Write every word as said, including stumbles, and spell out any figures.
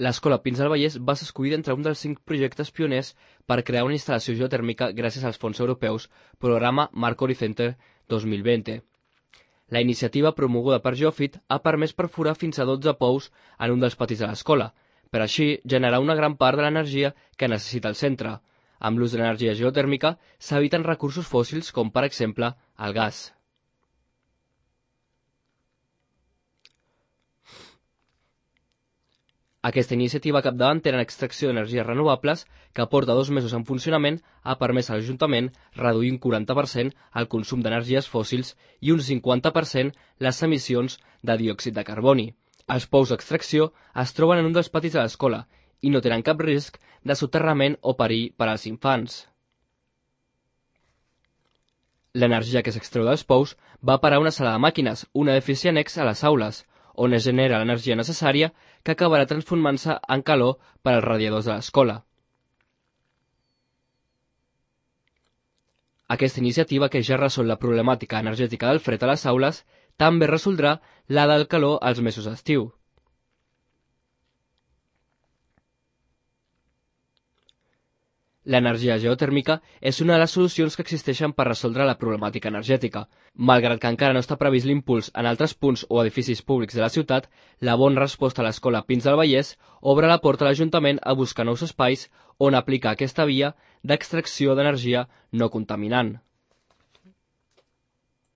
L'escola Pins del Vallès va ser escollida entre un dels cinc projectes pioners per crear una instal·lació geotèrmica gràcies als fons europeus Programa Marco Horizonte dos mil vint. La iniciativa promoguda per Geofit ha permès perforar fins a dotze pous en un dels patis de l'escola, per així generar una gran part de l'energia que necessita el centre. Amb l'ús de l'energia geotèrmica s'eviten recursos fòssils com, per exemple, el gas. Aquesta iniciativa capdavantera en extracció d'energies renovables, que porta dos mesos en funcionament, ha permès a l'Ajuntament reduir un quaranta per cent el consum d'energies fòssils i un cinquanta per cent les emissions de diòxid de carboni. Els pous d'extracció es troben en un dels patis de l'escola i no tenen cap risc de soterrament o perill per als infants. L'energia que s'extreu dels pous va parar a una sala de màquines, un edifici annex a les aules, on es genera l'energia necessària que acabarà transformant-se en calor per als radiadors de l'escola. Aquesta iniciativa, que ja resol la problemàtica energètica del fred a les aules, també resoldrà la del calor als mesos d'estiu. L'energia geotèrmica és una de les solucions que existeixen per resoldre la problemàtica energètica. Malgrat que encara no està previst l'impuls en altres punts o edificis públics de la ciutat, la bona resposta a l'escola Pins del Vallès obre la porta a l'Ajuntament a buscar nous espais on aplicar aquesta via d'extracció d'energia no contaminant.